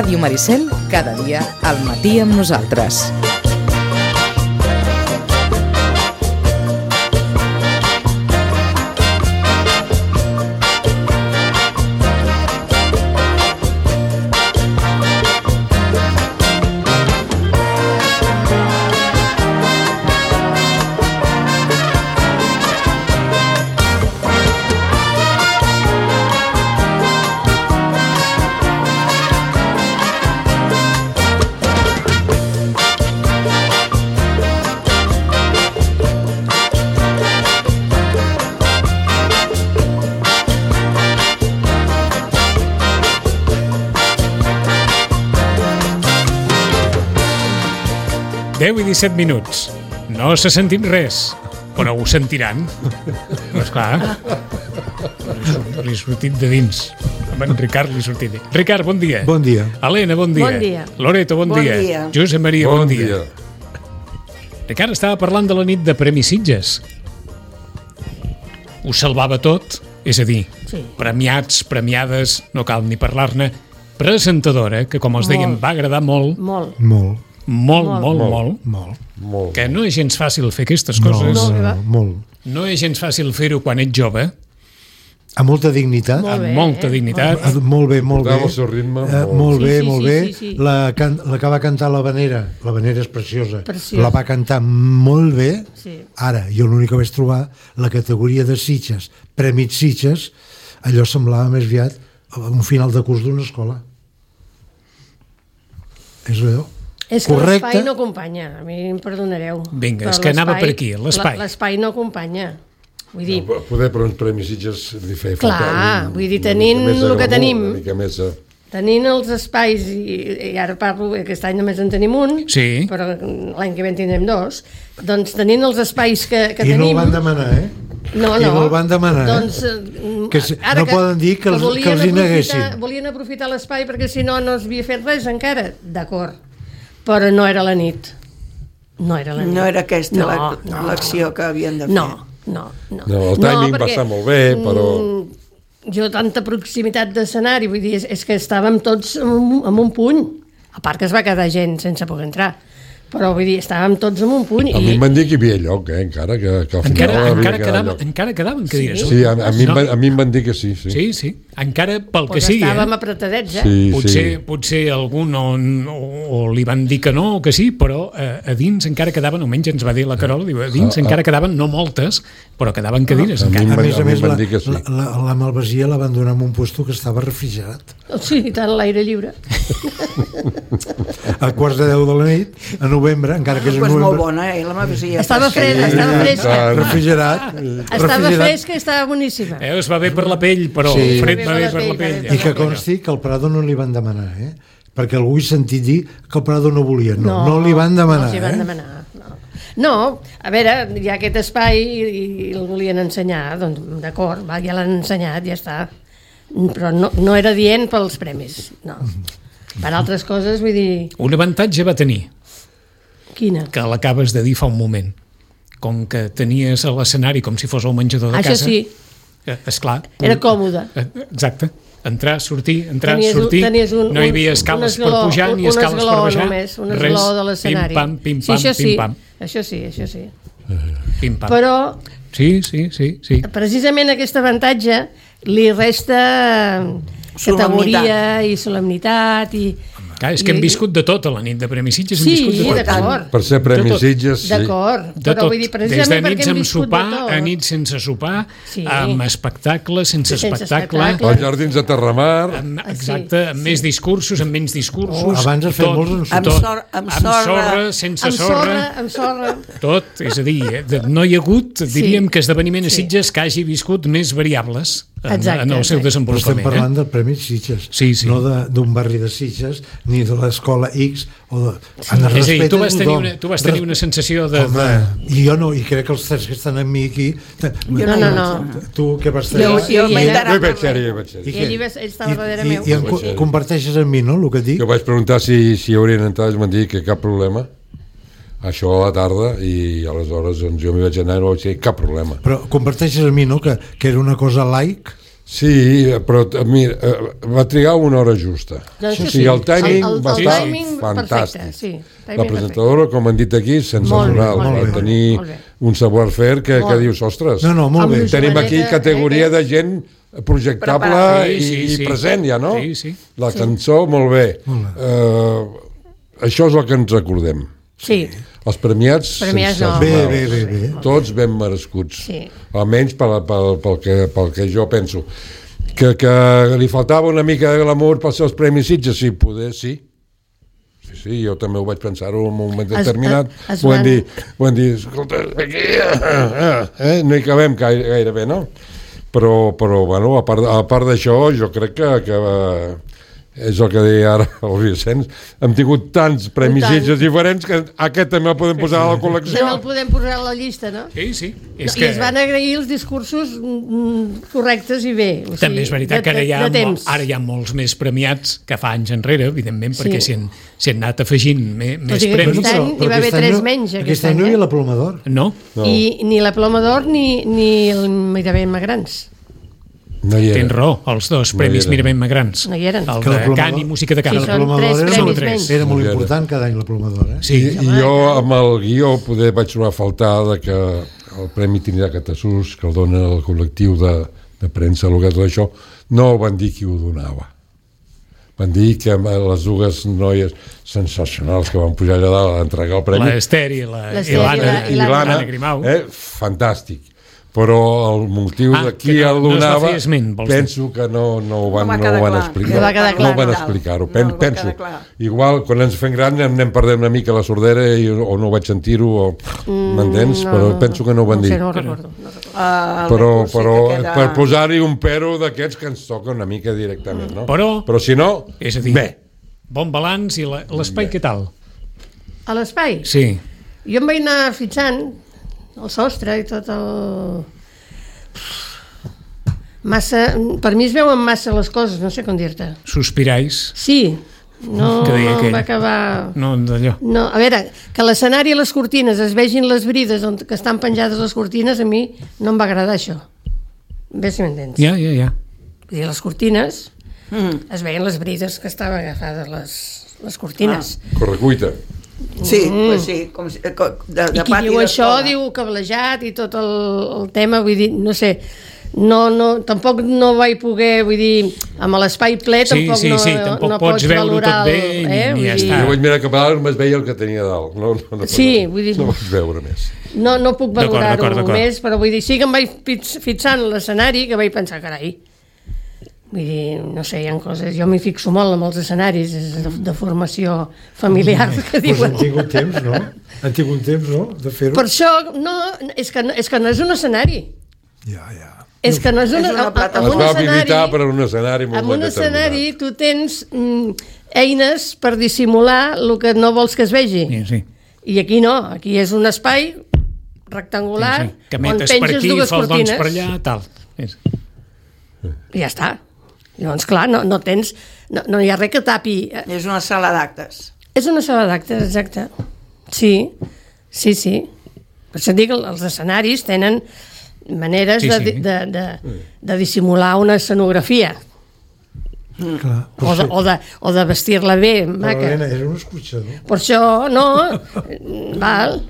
Ràdio Maricel, cada dia al matí amb nosaltres. I 17 minuts. No se sentim res, però ho sentiran. Però esclar, li ha sortit de dins. A en Ricard li ha sortit. Ricard, bon dia. Bon dia. Helena, bon dia. Bon dia. Loreto, bon dia. Josep Maria, bon dia. Ricard estava parlant de la nit de Premis Sitges. Ho salvava tot, és a dir, premiats, premiades, no cal ni parlar-ne, presentadora, que com els dèiem va agradar molt. Molt. Que no és gens fàcil fer aquestes coses. No és gens fàcil fer-ho quan ets jove. Amb molta dignitat. Amb molta dignitat. Molt bé. El seu ritme. Molt bé. La que va cantar l'Havanera és preciosa. La va cantar molt bé. Ara, jo l'únic que vaig trobar, la categoria de Sitges, Premis Sitges, allò semblava més aviat un final de curs d'una escola. És allò. És que l'espai no acompanya, a mi em perdonareu. Vinga, és que anava per aquí, l'espai. L'espai no acompanya. Vull dir... Poder per uns Premis Sitges li feia falta... Clar, vull dir, tenint el que tenim, tenint els espais, i ara parlo, aquest any només en tenim un, però l'any que ve en tindrem dos, doncs tenint els espais que tenim... I no el van demanar, No. I no el van demanar, doncs, no poden dir que els hi neguessin. Volien aprofitar l'espai perquè si no s'havia fet res encara, d'acord. Però no era la nit. No era aquesta l'acció que havien de fer. No. El timing va estar molt bé, però... Jo, tanta proximitat d'escenari, vull dir, és que estàvem tots amb un puny. A part que es va quedar gent sense poder entrar. Però, vull dir, estàvem tots en un puny. A mi em van dir que hi havia lloc, encara que al final... Encara quedaven cadires. Sí, a mi em van dir que sí. Sí, encara pel que sigui. Estàvem apretadets, Potser algun o li van dir que no o que sí, però a dins encara quedaven, almenys ens va dir la Carola, a dins encara quedaven, no moltes, però quedaven cadires. A més, la Malvasia la van donar en un puesto que estava refrigerat. Sí, i tant, l'aire lliure. A quarts de 10 de la nit, a novembre, encara que és novembre. És molt bona, la Malvasia. Estava fresca. Refrigerat. Estava fresca i estava boníssima. Es va bé per la pell, però fred va bé per la pell. I que consti que al Prado no li van demanar, perquè algú he sentit dir que el Prado no volia. No li van demanar. No s'hi van demanar. No, a veure, hi ha aquest espai i el volien ensenyar, doncs d'acord, ja l'han ensenyat, ja està. Però no era dient pels premis, no. Per altres coses, vull dir... Un avantatge va tenir. Quina? Que l'acabes de dir fa un moment. Com que tenies a l'escenari com si fos el menjador de casa... Això sí. Esclar. Era còmode. Exacte. Entrar, sortir, sortir. No hi havia escales per pujar ni escales per baixar. Un esgló de l'escenari. Pim, pam. Això sí. Pim, pam. Però... Sí. Precisament aquest avantatge li resta categoria i solemnitat i... Clar, és que hem viscut de tot a la nit de Premis Sitges. Sí, d'acord. Per ser Premis Sitges, sí. D'acord, però vull dir, precisament perquè hem viscut de tot. A nits sense sopar, amb espectacle, sense espectacle. Els jardins de Terramar. Exacte, amb més discursos, amb menys discursos. Abans es feia molts amb sorra, sense sorra. Amb sorra. Tot, és a dir, no hi ha hagut, diríem que esdeveniment a Sitges que hagi viscut més variables en el seu desenvolupament. Estem parlant del Premi Sitges, no d'un barri de Sitges, ni de l'escola X. És a dir, tu vas tenir una sensació de... I jo no, i crec que els tres que estan amb mi aquí... No. Tu què vas tenir? Jo hi vaig ser. Ell estava darrere meu. I comparteixes amb mi, no, el que et dic? Jo vaig preguntar si haurien entrat, i m'han dit que cap problema. Això a la tarda, i aleshores doncs, jo m'hi vaig anar i no vaig dir cap problema. Però comparteixes amb mi, no?, que era una cosa laic? Sí, però mira, va trigar una hora justa. Doncs O sigui, el timing va estar perfecte, fantàstic. sí, La presentadora, com han dit aquí, sensacional. Va tenir un savoir-faire que dius, ostres, molt bé. tenim aquí categoria de gent projectable i present ja, no? Sí. La cançó, molt bé. Això és el que ens recordem. Sí. Els premiats bé. Tots ben merescuts. Sí. Almenys pel que jo penso. Que li faltava una mica de glamour pels seus premis Sitges, sí, poder, sí. Sí, jo també ho vaig pensar en un moment determinat. Ho hem dit, escolta, aquí no hi cabem gairebé, no? Però bueno, a part d'això, jo crec que és el que deia ara el Vicenç, hem tingut tants premis Sitges diferents que aquest també el podem posar a la col·lecció. També el podem posar a la llista, no? Sí. I es van agrair els discursos correctes i bé. També és veritat que ara hi ha molts més premiats que fa anys enrere, evidentment, perquè s'hi han anat afegint més premis. Aquest any hi va haver 3 menys. Aquest any no hi havia la Ploma d'Or. No. I ni la Ploma d'Or ni el Mirament Magrans. No hi Tens raó, els dos premis Mirament Magrans. No hi eren. El de cant i música de cant. La Ploma d'Or era molt important cada any, la Ploma d'Or. Sí, i jo amb el guió poder vaig trobar a faltar que el Premi Trinitat Catasús, que el dona el col·lectiu de premsa, el que tot això, no van dir qui ho donava. Van dir que les dues noies sensacionals que van pujar allà dalt a entregar el premi, l'Ester i l'Anna Grimau, fantàstic. Però el motiu de qui el donava penso que no ho van explicar. No van explicar-ho. Penso. Igual, quan ens fem gran anem perdent una mica la sordera o no vaig sentir-ho, m'entens? Però penso que no ho van dir. No recordo. Però per posar-hi un pero d'aquests que ens toca una mica directament, no? Però si no, bé. Bon balanç i l'espai què tal? A l'espai? Sí. Jo em vaig anar fitxant el sostre i tot el... Per mi es veuen massa les coses, no sé com dir-te. Sospirais? Sí, no va acabar... No, d'allò. No, a veure, que l'escenari i les cortines es vegin les brides on que estan penjades les cortines, a mi no em va agradar això. Bé, si m'entens. Ja. Vull dir, les cortines, es veien les brides que estaven agafades les cortines. Correcuita. Sí, pues sí, com i qui diu això diu cablejat i tot el tema, vull dir, no sé, tampoc no vaig poder, vull dir, amb l'espai ple tampoc tampoc pots veure tot bé ni ja està. Jo vaig mirar cap a dalt, només veia el que tenia dalt, no vaig veure més. No puc valorar-ho més, però vull dir, sí que em vaig fixant l'escenari, que vaig pensar, carai, vull dir, no sé, hi ha coses... Jo m'hi fixo molt amb els escenaris de formació familiar que diuen. Han tingut temps, no? Han tingut temps, no?, de fer-ho. Per això, no, és que no és un escenari. Ja. És que no és una plataforma. Es va habilitar per un escenari molt determinat. En un escenari tu tens eines per dissimular el que no vols que es vegi. Sí. I aquí no, aquí és un espai rectangular on penges dues cortines. Per allà, tal. I ja està. Llavors, clar, no tens... No hi ha res que tapi... És una sala d'actes. És una sala d'actes, exacte. Sí. Per això dic que els escenaris tenen maneres de dissimular una escenografia. O de vestir-la bé, maca. Però, era un escorxador. Per això, no... Val.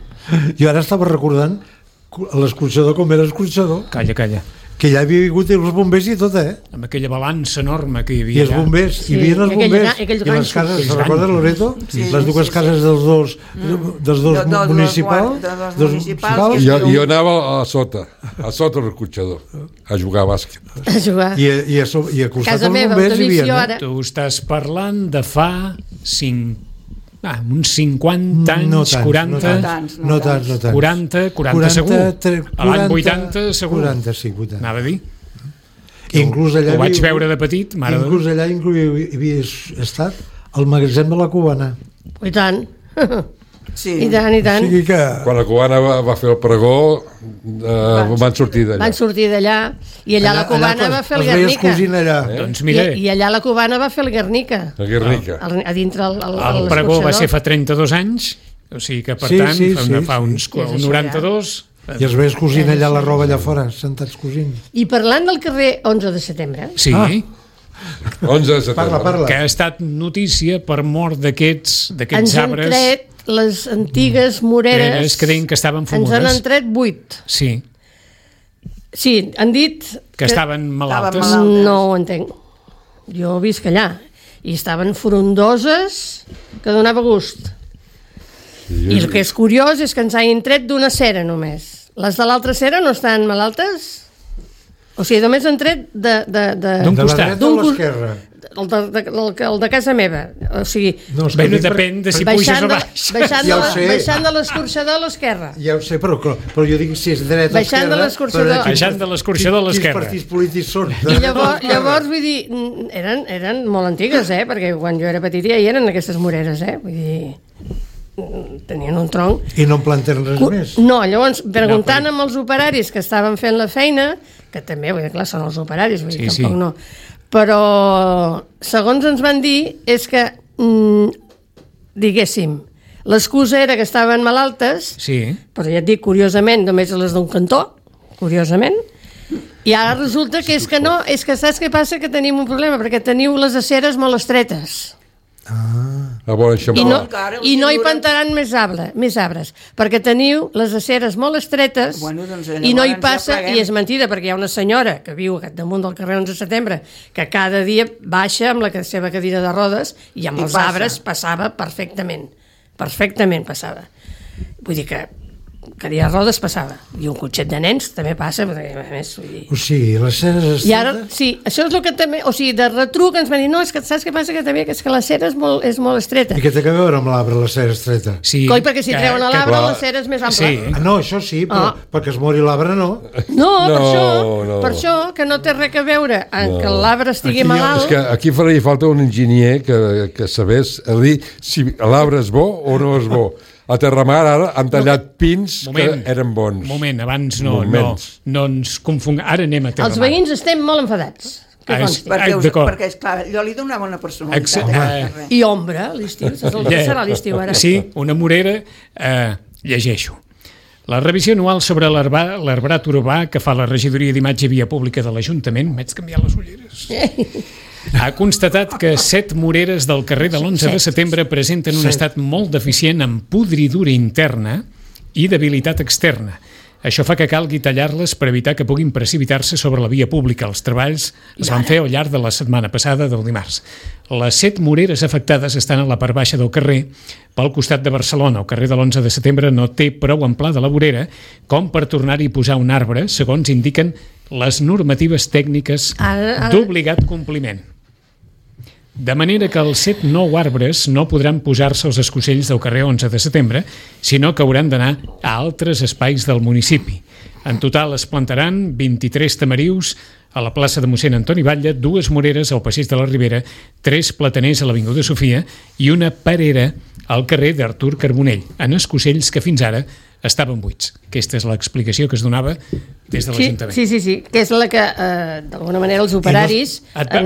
Jo ara estava recordant l'escorxador com era escorxador. Calla. Que ja havia vingut els bombers i tot, Amb aquella balança enorme que hi havia. I els bombers, hi havia els bombers. I les cases, te'n recordes, Loreto? Les dues cases dels dos municipals. Jo anava a sota del cotxador, a jugar a bàsquet. I a costat dels bombers hi havia. Tu estàs parlant de fa uns 50 anys, 40... No tants. 40 segur. A l'any 80 segur. 40, sí, 80. Anava a dir. Ho vaig veure de petit. Inclús allà hi havia estat el magatzem de la Cubana. I tant. Sí. I tant. O sigui que... Quan la Cubana va fer el pregó van sortir d'allà. Van sortir d'allà i allà la Cubana va fer el Guernica. Doncs mira. I allà la Cubana va fer el Guernica. El Guernica. A dintre el pregó va ser fa 32 anys, o sigui que per tant fa uns 92 I els veus cosint allà la roba allà fora, sentats cosint. I parlant del carrer 11 de setembre... Sí, 11 de setembre. Parla. que ha estat notícia per mort d'aquests ens han arbres tret les antigues moreres... que deien que estaven Ens fumudes. han tret 8. Sí, Sí, han dit... que estaven malaltes. malaltes. No ho entenc. Jo visc allà. I estaven frondoses que donava gust. I el que és curiós és que ens hagin tret d'una cera només. Les de l'altra cera no estan malaltes? O sigui, només han tret D'un De la costat. dreta o l'esquerra? el de casa meva. O sigui, No, és que Bé, dic per- depèn de si puges o baix. Ja ho sé. baixant de l'escorxador a l'esquerra. Ja ho sé, però jo dic si és dreta o Baixant de esquerra... l'escorxador. però Baixant de l'escorxador a l'esquerra. Quins partits polítics són? I llavors, vull dir, eren molt antigues, perquè quan jo era petita ja hi eren aquestes moreres, vull dir, tenien un tronc. I no en planten res més? No, llavors, preguntant amb els operaris que estaven fent la feina, que també, vull dir, clar, són els operaris, vull dir, Sí, tampoc sí. no. Però, segons ens van dir, és que, diguéssim, l'excusa era que estaven malaltes, Sí, però ja et dic, curiosament, només les d'un cantó, curiosament, i ara resulta que és que no, és que saps què passa? Que tenim un problema, perquè teniu les aceres molt estretes. A veure, això I no, encara i no hi us plantaran més arbres, perquè teniu les aceres molt estretes Bueno, doncs, i no hi llavors passa, ja pleguem. i és mentida, perquè hi ha una senyora que viu damunt del carrer 11 de setembre que cada dia baixa amb la seva cadira de rodes i amb I els passa. arbres passava perfectament passava. Vull dir que cadira de rodes passava, i un cotxet de nens també passa, perquè a més, vull dir... O sigui, les ceres estretes... I ara, sí, això és el que també... O sigui, de retruc ens van dir, no, és que saps què passa? Que també és que la cera és molt estreta. I què té a veure amb l'arbre, la cera estreta? sí. Coi, perquè si treuen a l'arbre, clar. la cera és més ampla. Sí. Ah, no, això sí, però perquè es mori l'arbre no. No, No. per això, que no té res a veure amb que l'arbre estigui Aquí hi ha- malalt. És que aquí faria falta un enginyer que sabés a dir si l'arbre és bo o no és bo. A Terramar ara han tallat pins que eren bons. Moment, abans Moments. no ens confongui. Ara anem a Terramar. Els veïns estem molt enfadats. Que Ah, consti. d'acord. Perquè, esclar, jo li donava una personalitat. Exa- I ombra, l'estiu. Saps el que serà l'estiu ara? Sí, una morera, llegeixo. La revisió anual sobre l'arbrat urbà que fa la regidoria d'imatge i via pública de l'Ajuntament, m'haig canviat les ulleres, ha constatat que 7 moreres del carrer de l'11 de setembre presenten un estat molt deficient en podridura interna i debilitat externa. Això fa que calgui tallar-les per evitar que puguin precipitar-se sobre la via pública. Els treballs es van fer al llarg de la setmana passada del dimarts. Les 7 moreres afectades estan a la part baixa del carrer, pel costat de Barcelona. El carrer de l'11 de setembre no té prou amplada de la vorera com per tornar-hi a posar un arbre, segons indiquen les normatives tècniques Ara- d'obligat compliment. De manera que els 7 nou arbres no podran posar-se als escocells del carrer 11 de setembre, sinó que hauran d'anar a altres espais del municipi. En total es plantaran 23 tamarius a la plaça de mossèn Antoni Batlle, 2 moreres al passeig de la Ribera, 3 plataners a l'Avinguda Sofia i una perera al carrer d'Artur Carbonell, en escocells que fins ara estaven buits. Aquesta és l'explicació que es donava des de l'Ajuntament. Sí, que és la que, d'alguna manera, els operaris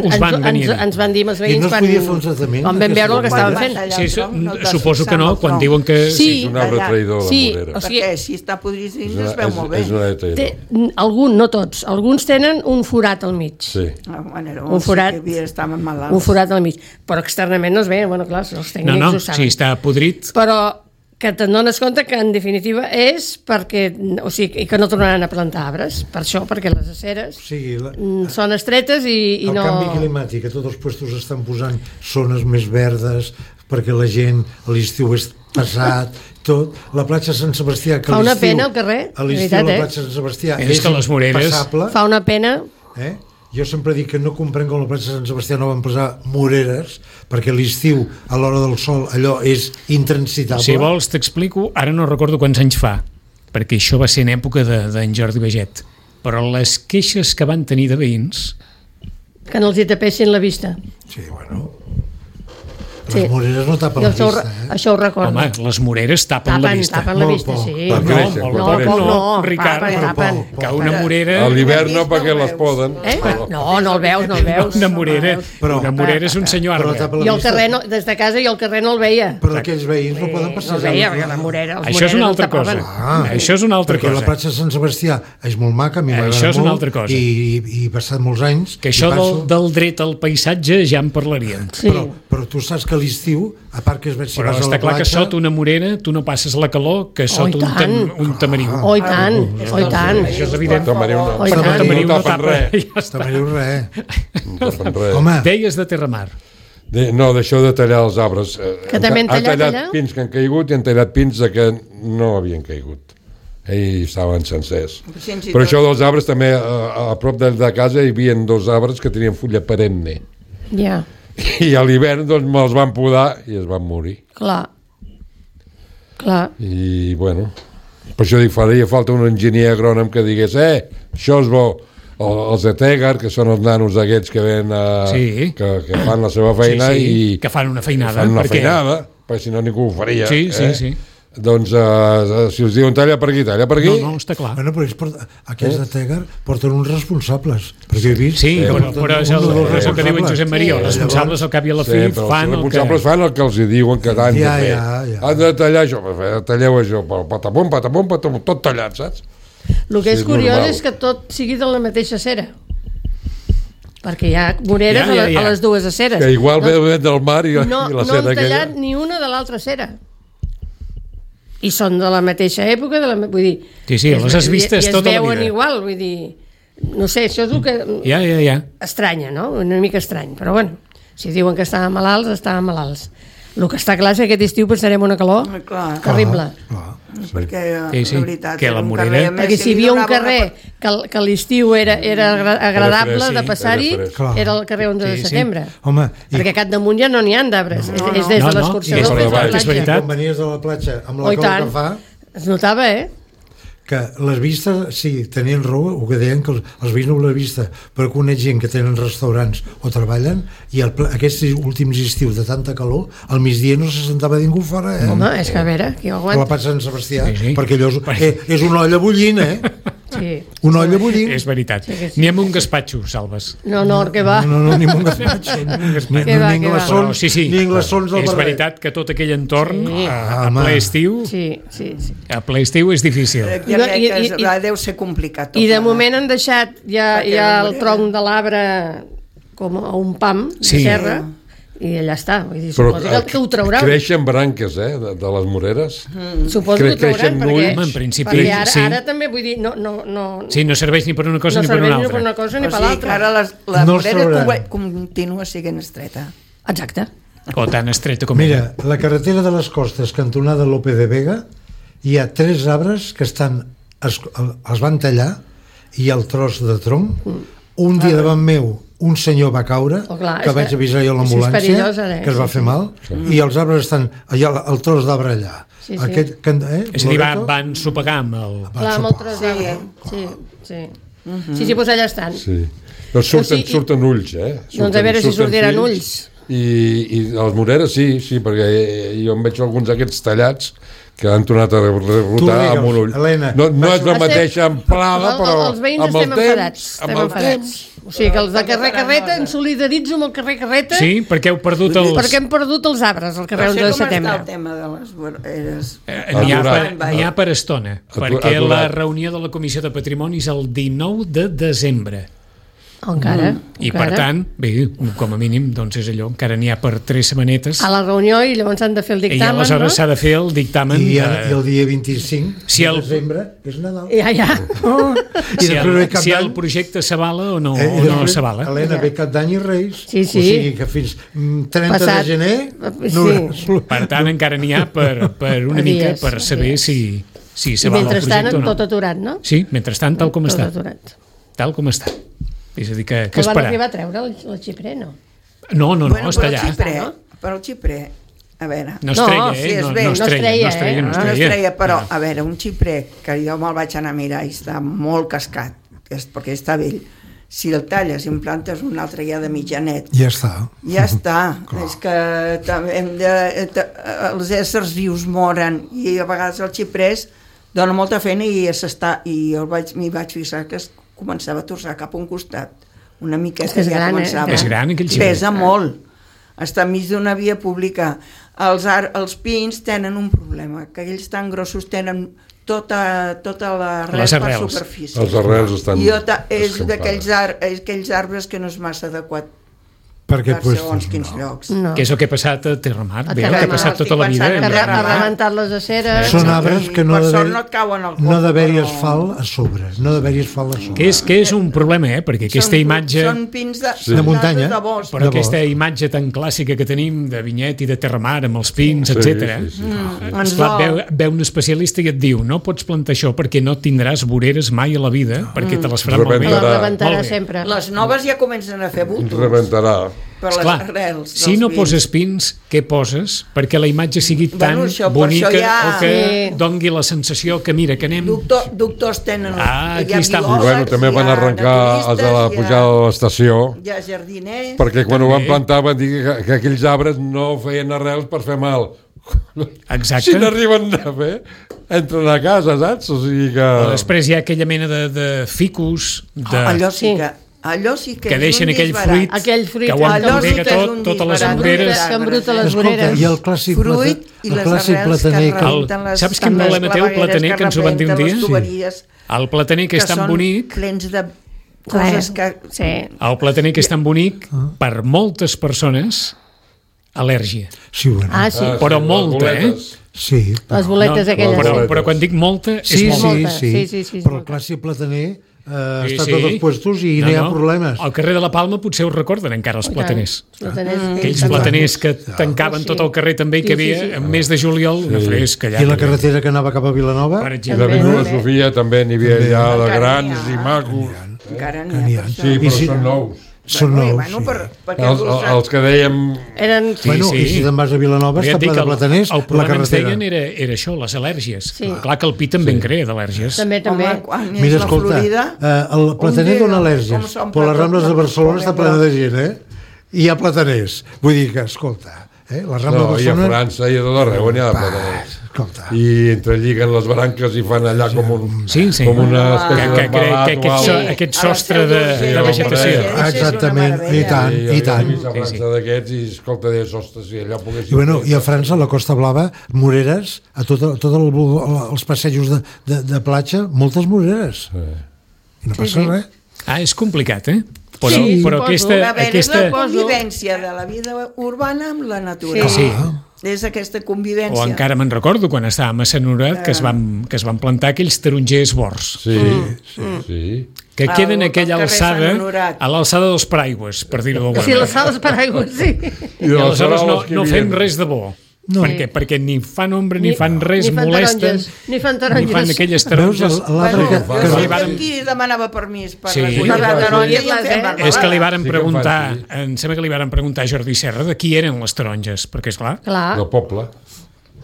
us van venir a dir. ens van dir als I veïns no es podia fer un tractament? quan vam veure el que Quan estaven van fent. tallar Sí, el tronc, no et vas suposo fixar que en no, el quan tronc. diuen que... Sí. És un arbre allà. traïdor, la Sí, morera. o sigui, Perquè si està podrit dins es veu molt bé. És una traïdor. Algun, no tots, alguns tenen un forat al mig. Sí. Un forat. Estaven malalts. Un forat al mig. Però externament no es ve, bueno, clar, els tècnics No, ho saben. si està podrit... Però que te'n dones compte que en definitiva és perquè, o sigui, que no tornaran a plantar arbres, per això, perquè les aceres O sigui, són estretes i el no... canvi climàtic, que tots els puestos estan posant zones més verdes perquè la gent a l'estiu és pesat, tot. La platja Sant Sebastià, que Fa una l'estiu- pena al carrer, a l'estiu veritat, la platja Sant Sebastià És que les moreres- impassable, Fa una pena... Jo sempre dic que no comprenc com la platja Sant Sebastià no van posar moreres, perquè a l'estiu, a l'hora del sol, allò és intransitable. Si vols t'explico, ara no recordo quants anys fa, perquè això va ser en època d'en Jordi Baget, però les queixes que van tenir de veïns... Que no els hi tapessin la vista. Sí, bueno. Les moreres no tapen la vista, Això ho recordo. Home, les moreres tapen la vista. Tapen la vista, sí. No, Ricard, que una morera... A l'hivern no, perquè les poden. No el veus. Una morera és un senyor arbre. I al carrer, des de casa, i al carrer no el veia. Però aquells veïns no poden passejar. No el veia, perquè la morera... Això és una altra cosa. Això és una altra cosa. Perquè la platja de Sant Sebastià és molt maca, a mi m'agrada molt. Això és una altra cosa. I he passat molts anys... Que això del dret al paisatge ja en parlaríem. Però tu saps que a l'estiu, a part que es veig si vas a la platja... Però està clar que sota una morera tu no passes la calor que sota un tamariu. Oh, i tant. Això és evident. Tamariu no tapa res. Tamariu res. Home, deies de Terramar. No, d'això de tallar els arbres. Que també han tallat pins que han caigut i han tallat pins que no havien caigut. I estaven sencers. Però això dels arbres també, a prop de casa hi havia 2 arbres que tenien fulla perenne. Ja. I a l'hivern doncs me'ls van podar i es van morir. Clar. I bueno, per això dic, faria falta un enginyer agrònom que digués, això és bo. Els de Tegar, que són els nanos aquests que ven que fan la seva feina i que fan una feinada. Perquè si no ningú ho faria. Sí. Doncs si us diuen talla per aquí. No, està clar. Bueno, però aquests de Tegar porten uns responsables. Perquè he vist... Sí, però és el que diu en Josep Maria. Els responsables al cap i a la fi fan el que... Els responsables fan el que els diuen que han de fer. Han de tallar això, talleu això, patapum, tot tallat, saps? El que és curiós és que tot sigui de la mateixa cera. Perquè hi ha moreres a les dues aceres. Que igual ve del mar i la cera aquella. No han tallat ni una de l'altra cera. I són de la mateixa època, vull dir... Sí, les has vistes tota la vida. I es veuen igual, vull dir... No sé, això és el que... Ja. Estranya, no? Una mica estrany, però bueno, si diuen que estaven malalts. El que està clar és que aquest estiu passarem una calor terrible. Perquè, la veritat, que la morera... Perquè si hi havia un carrer que a l'estiu era agradable de passar-hi, era el carrer 11 de setembre. Perquè a Capdamunt ja no n'hi ha d'arbres. És des de l'escorxador fins a la platja. Quan venies de la platja amb la calor que fa... Es notava, que les vistes, sí, tenien raó, o que deien que els veïns no la vista, però conec gent que tenen restaurants o treballen i aquests últims estius de tanta calor, al migdia no se sentava ningú fora, Home, és que a veure, qui ho aguanta? A la platja de Sant Sebastià, perquè allò és una olla bullint, Sí. Una olla bullint. És veritat. Ni amb un gaspatxo, Salves. No, que va. No, ni amb un gaspatxo. Ni glaçons del barret. És veritat que tot aquell entorn a ple estiu a ple estiu és difícil. Jo crec que deu ser complicat. I de moment han deixat ja el tronc de l'arbre com a un pam de serra i allà està. Vull dir, suposo que ho trauran. Creixen branques, de les moreres. Suposo que ho trauran, perquè ara també, vull dir, no... Sí, no serveix ni per una cosa ni per una altra. No serveix ni per una cosa ni per l'altra. Ara la morera continua sent estreta. Exacte. O tan estreta com... Mira, la carretera de les Costes, cantonada Lope de Vega, hi ha 3 arbres que els van tallar i el tros de tronc. Un dia davant meu un senyor va caure, que vaig avisar jo a l'ambulància, que es va fer mal, i els arbres estan allà, el tros d'arbre allà. És a dir, van sopegar amb el... Clar, amb el tros d'arbre. Sí, doncs allà estan. Però surten ulls, Doncs a veure si sortiran ulls. I les moreres sí, perquè jo em veig alguns d'aquests tallats que han tornat a rebotar amb un ull. No és la mateixa amplada, però els veïns estem enfadats. O sigui que els de carrer Carreta em solidaritzo amb el carrer Carreta. Sí, perquè heu perdut els... Perquè hem perdut els arbres al carrer 11 de setembre. Com està el tema de les voreres? N'hi ha per estona, perquè la reunió de la Comissió de Patrimoni és el 19 de desembre. Encara. I per tant, bé, com a mínim, doncs és allò, encara n'hi ha per 3 setmanetes. A la reunió i llavors s'han de fer el dictamen, I aleshores s'ha de fer el dictamen. I el dia 25 de desembre és Nadal. Ja. Si el projecte s'avala o no s'avala. Helena, ve Cap d'Any i Reis. Sí. O sigui que fins 30 de gener... Per tant, encara n'hi ha per una mica per saber si s'avala el projecte o no. I mentrestant tot aturat, no? Sí, mentrestant tal com està. Tal com està. És a dir, que esperar. El van arribar a treure el xiprer, no? No, està allà. Però el xiprer, a veure... No es treia, però, a veure, un xiprer que jo me'l vaig anar a mirar i està molt cascat, perquè està vell, Si el talles i en plantes un altre ja de mitjanet, Ja està. ja està. És que els éssers vius moren i a vegades el xiprès dona molta feina i m'hi vaig fixar que es començava a torçar cap a un costat. Una miqueta És ja gran, començava. És gran, aquell xiprès. Pesa molt. Està enmig d'una via pública. Els pins tenen un problema, que ells tan grossos tenen tota l'arrel Les per arrels. superfície. Els arrels estan... És d'aquells arbres que no és massa adequat Per què per segons quins llocs. No. Que és el que ha passat a Terramar, A bé, el que ha Terramar, passat tota la vida. estic pensant Ha en rebentat les aceres. Són arbres que no Per ha sort d'haver- no et cauen al No ha coll, d'haver-hi però- asfalt a sobre. No ha d'haver-hi asfalt a sobre. Que és un problema, perquè aquesta imatge... Són pins de De muntanya. de bosc. Però de aquesta imatge tan clàssica que tenim de Vinyet i de Terramar amb els pins, Sí, etc. sí, sí. Ens Esclar, dol. ve un especialista i et diu no pots plantar això perquè no tindràs voreres mai a la vida, perquè te les faran malbé. La Rebentarà. rebentarà Molt bé. sempre. Les noves ja comencen a fer bultos Rebentarà. per les Esclar, arrels. si dels no pins. poses pins, què poses? Perquè la imatge sigui tan Bueno, això, per bonica això ja- o que Sí. dongui la sensació que mira, que anem... Doctors tenen... Aquí hi ha està. I biòlegs, bueno, també hi van ha arrencar els de la naturistes, pujada de l'estació, hi ha jardiners... perquè quan ho van També. plantar van dir que aquells arbres no feien arrels per fer mal. Exacte. Si n'arriben a fer, entren a casa, saps? O sigui que... O després hi ha aquella mena de ficus, Allò sí Sí. que... Allò sí que, que és deixen un aquell disbarat. fruit Aquell fruit que aguanta allò sí pega que és tot, un totes les disbarat. voreres. Que embruta les Escolta, voreres. i el clàssic Fruit i el les clàssic arrels plataner que que... rebenten les... Saps quin les problema té el clavegueres plataner que ens ho van dir un rebenten dia? les tuberies, El plataner que és tan són bonic, plens de coses que... Sí. el plataner que és tan bonic, per moltes persones, al·lèrgia. Sí, bueno. Ah, sí. Però molta, les boletes. Sí, Les boletes aquelles. Però quan dic molta, sí, és molta. sí, Sí, però el molta. clàssic plataner Sí, està sí. tots els puestos i no hi ha problemes. Al carrer de la Palma potser ho recorden encara els plataners. Aquells També. plataners que tancaven Sí. tot el carrer també i que Sí, hi sí, havia sí. en mes de juliol una fresca allà. I la carretera que anava cap a Vilanova, Per I exemple. l'Avinguda Sofia també n'hi havia allà de Encara grans n'hi ha. i macos. Encara que n'hi n'hi ha. ha. per això. Sí, I però si- són nous. són Bueno, nous. Sí. perquè Els que dèiem... Eren... Sí, Bueno, sí. i si te'n vas a Vilanova Però ja està et dic ple que de plataners, el la problema ens carretera. deien era això, les al·lèrgies. Sí. Clar que el pi també en crea d'al·lèrgies. També, també. Home, quan és Mira, la escolta, Florida... el plataner un dona dia, al·lèrgies, com s'omple però les tot Rambles de la- Barcelona està plena de gent, I hi ha plataners. Vull dir que, escolta, les Rambles de No, i a Barcelona... França i a tot arreu n'hi ha de plataners. Escolta, I entrelliguen les branques i fan allà com un... Sí, sí. Com una espècie que d'embalat o aquest, alguna aquest A la sostre Seu de d'Urgell, vegetació. és una exactament, meravella. i tant, i tant. A França d'aquests i, escolta, deies, ostres, si allà poguéssim... I, bueno, i a França, a la Costa Blava, moreres, a tot els passejos de platja, moltes moreres. I no passa res. Ah, és complicat, Però, Sí, però suposo. aquesta... A veure, és la aquesta... convivència de la vida urbana amb la natura. Sí. És aquesta convivència. O encara me'n recordo quan estàvem a Sant Honorat que es van plantar aquells tarongers bords Sí, sí. que queden a Al aquella carrer Sant alçada, Honorat. a l'alçada dels paraigües, per dir-ho d'alguna Sí, manera. les sales paraigües, sí. I I aleshores faroles que no hi fem havia. res de bo. No. Perquè ni fan ombra, ni fan res, ni fan molesten, taronges, ni fan taronges. ni fan aquelles Veus taronges. l'arbre que... Bueno, li jo varen- qui demanava permís per Sí. recollir la taronja i en fem marmelada. És que li varen Sí que preguntar, en fan, em sembla que li varen preguntar a Jordi Serra de qui eren les taronges, perquè és clar, Clar, Del poble.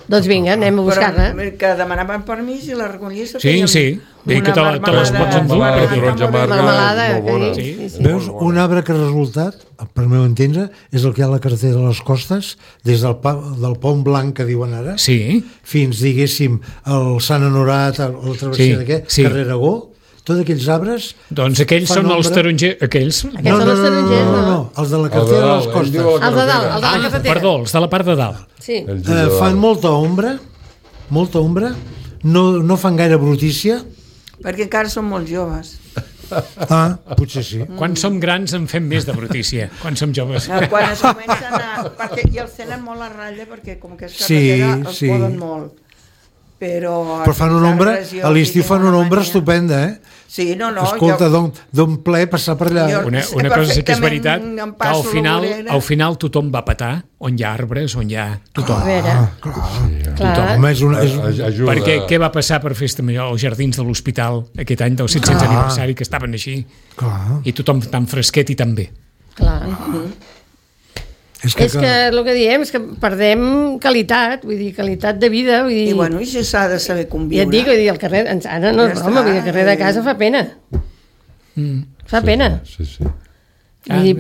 doncs vinga, anem a buscar-ne. Però que demanaven permís i la recollís. Sí, sí. Vull dir que te les pots endur, Marmelada, perquè- taronja amarga, Marmelada, és molt bona. que Sí. sí. Veus, un arbre que ha resultat, per meu entendre, és el que hi ha a la carretera de les Costes, des del Pont Blanc, que diuen ara, sí, fins, diguéssim, al Sant Honorat, a la travessia Sí, d'aquest, sí. carrer Aragó, tots aquells arbres... doncs aquells fan són els ombra. tarongers, aquells... Aquests són els tarongers, no? els de la carretera de les ell Costes. diu la Els de dalt, carretera. els de la carretera. Perdó, els de la part de dalt. Sí. Ell diu de dalt. Fan molta ombra, no fan gaire brutícia. Perquè encara són molt joves. Potser sí. Quan som grans en fem més de brutícia, quan som joves. Quan es comencen a... I els tenen molt a ratlla perquè com que és Sí, carretera els sí. poden molt. Però Però fan una ombra, a l'estiu fan una ombra estupenda, Sí, no, Escolta, d'un ple passar per allà. Jo- Una cosa sí que és veritat, Perfectament em que al passo final, la vorera. al final tothom va petar on hi ha arbres, on hi ha tothom. A veure, clar. Home, és una... Ajuda. Perquè què va passar per Festa Major als jardins de l'hospital aquest any del 700 aniversari, que estaven així, Clar. i tothom tan fresquet i tan bé. Clar. És que el que diem és que perdem qualitat, vull dir, qualitat de vida, vull dir... I bueno, i si s'ha de saber ja conviure. et dic, vull dir, el carrer, ara no és Ja broma, està, vull dir, el carrer de casa fa pena. Fa pena. Sí. Vull dir,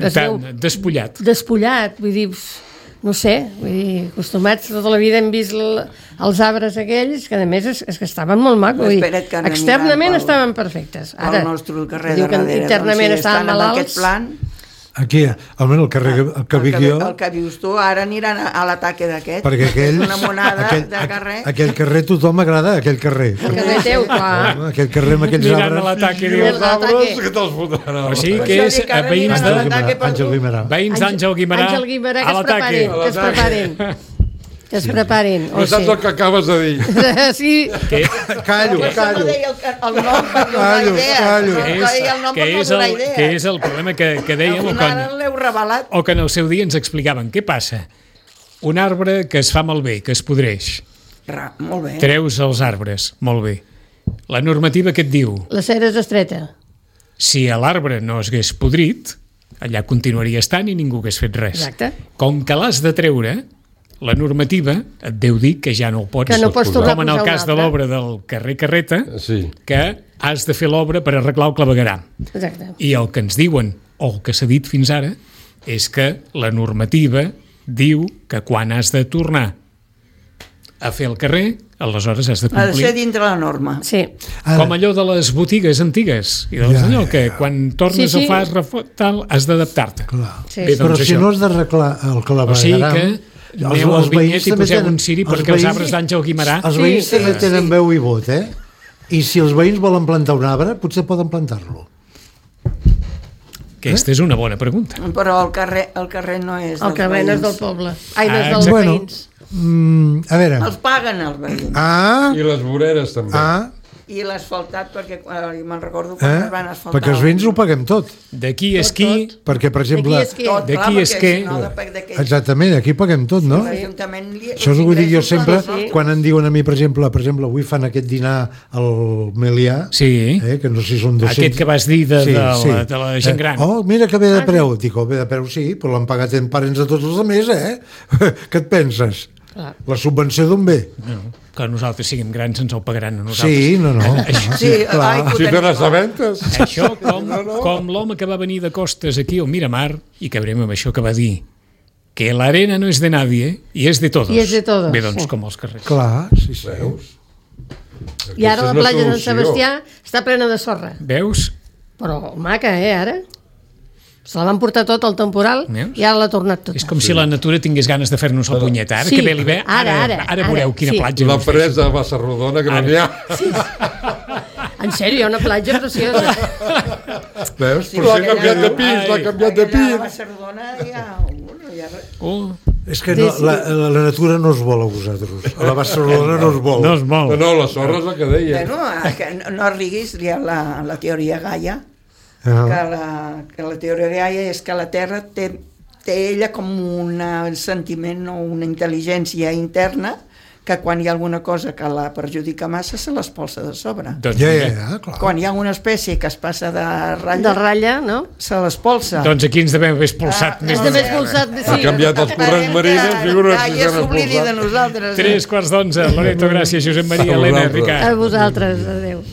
despullat. Despullat, vull dir, no sé, vull dir, acostumats tota la vida hem vist els arbres aquells, que a més és que estaven molt macos, vull dir, externament estaven perfectes. Ara, el nostre carrer de darrere, internament estaven malalts. Aquest plan, aquí, almenys el carrer que vic jo... El que vius tu, ara aniran a l'ataque d'aquest. Perquè aquell... Una monada de carrer. Aquell carrer tothom m'agrada, aquell carrer. El carrer teu, clar. Aquell carrer amb aquells Aniran arbres... a l'ataque, diu. Els arbres que te'ls fotran. O sigui que és veïns Àngel Guimerà. Veïns d'Àngel Guimerà Àngel Guimerà, a l'ataque. que es preparin. Que es preparin. No saps el que acabes de dir. Sí. Callo. No deia el nom per donar idea. Callo. No deia el nom per no donar idea. Que és el problema que dèiem Ara l'heu revelat. o que en el seu dia ens explicaven. Què passa? Un arbre que es fa malbé, que es podreix. Molt bé. Treus els arbres, molt bé. La normativa què et diu? La cera és estreta. Si l'arbre no es hagués podrit, allà continuaria estant i ningú hagués fet res. Exacte. Com que l'has de treure, la normativa et deu dir que ja no ho pots, Que no pots tornar com en a el posar cas un de altre. l'obra del carrer Carreta, Sí. que has de fer l'obra per arreglar el clavegueram. Exacte. I el que ens diuen, o el que s'ha dit fins ara, és que la normativa diu que quan has de tornar a fer el carrer, aleshores has de Ha de ser complir. dintre la norma. Sí. Com allò de les botigues antigues. I doncs allò que quan tornes Sí, sí. o fas tal, has d'adaptar-te. Clar. Sí. Bé, Però doncs si això. no has d'arreglar el clavegueram... O sigui que aneu al vinyet i poseu un ciri perquè els arbres d'Àngel Guimerà... Els veïns també tenen veu i vot, eh? I si els veïns volen plantar un arbre, potser poden plantar-lo. Aquesta és una bona pregunta. Però el carrer no és El carrer no és del poble. Ai, no és dels exacte. veïns. A veure... Els paguen els veïns. I les voreres també. I l'asfaltat, perquè me'n recordo quan es van asfaltar. Perquè els veïns ho paguem tot. D'aquí és qui... Perquè, per exemple... D'aquí és que... Exactament, aquí paguem tot, no? Això us ho dic jo sempre, quan em diuen a mi, per exemple, avui fan aquest dinar al Melià, que no sé si són 200... Aquest que vas dir de la gent gran. Oh, mira que ve de preu. Dic, ve de preu, sí, però l'han pagat en parents de tots els altres, Què et penses? La subvenció d'on ve? No, que nosaltres siguem grans ens ho pagaran a nosaltres. Sí, no. Sí, si te n'assabentes. Això com l'home que va venir de costes aquí al Miramar, i acabarem amb això que va dir, que la arena no és de nadie y es de todos. I és de todos. Bé, doncs, com els carrers. Clar, sí. Veus? I ara la platja de Sant Sebastià està plena de sorra. Veus? Però maca, ara? Se la van portar tot al temporal i ara l'ha tornat tot. És com si la natura tingués ganes de fer-nos la punyeta. Ara que ve l'hivern, ara veureu quina platja. La presa de Bassarrodona, que no n'hi ha. En sèrio, hi ha una platja preciosa. Veus? Però si ha canviat de pis, l'ha canviat de pis. A Bassarrodona hi ha... És que la natura no es vol a vosaltres. A la Barcelona no es vol. No, la sorra és la que deia. No riguis, hi ha la teoria Gaia, que la teoria Gaia és que la Terra té ella com un sentiment o una intel·ligència interna que quan hi ha alguna cosa que la perjudica massa se l'espolsa de sobre. Clar. Quan hi ha una espècie que es passa de ratlla, no? Se l'espolsa. Doncs aquí ens devem haver expulsat més de Ha canviat els corrents marins, figura't que s'han expulsat. 3:15. Loreto, gràcies, Josep Maria, Helena, Ricard. A vosaltres, adéu.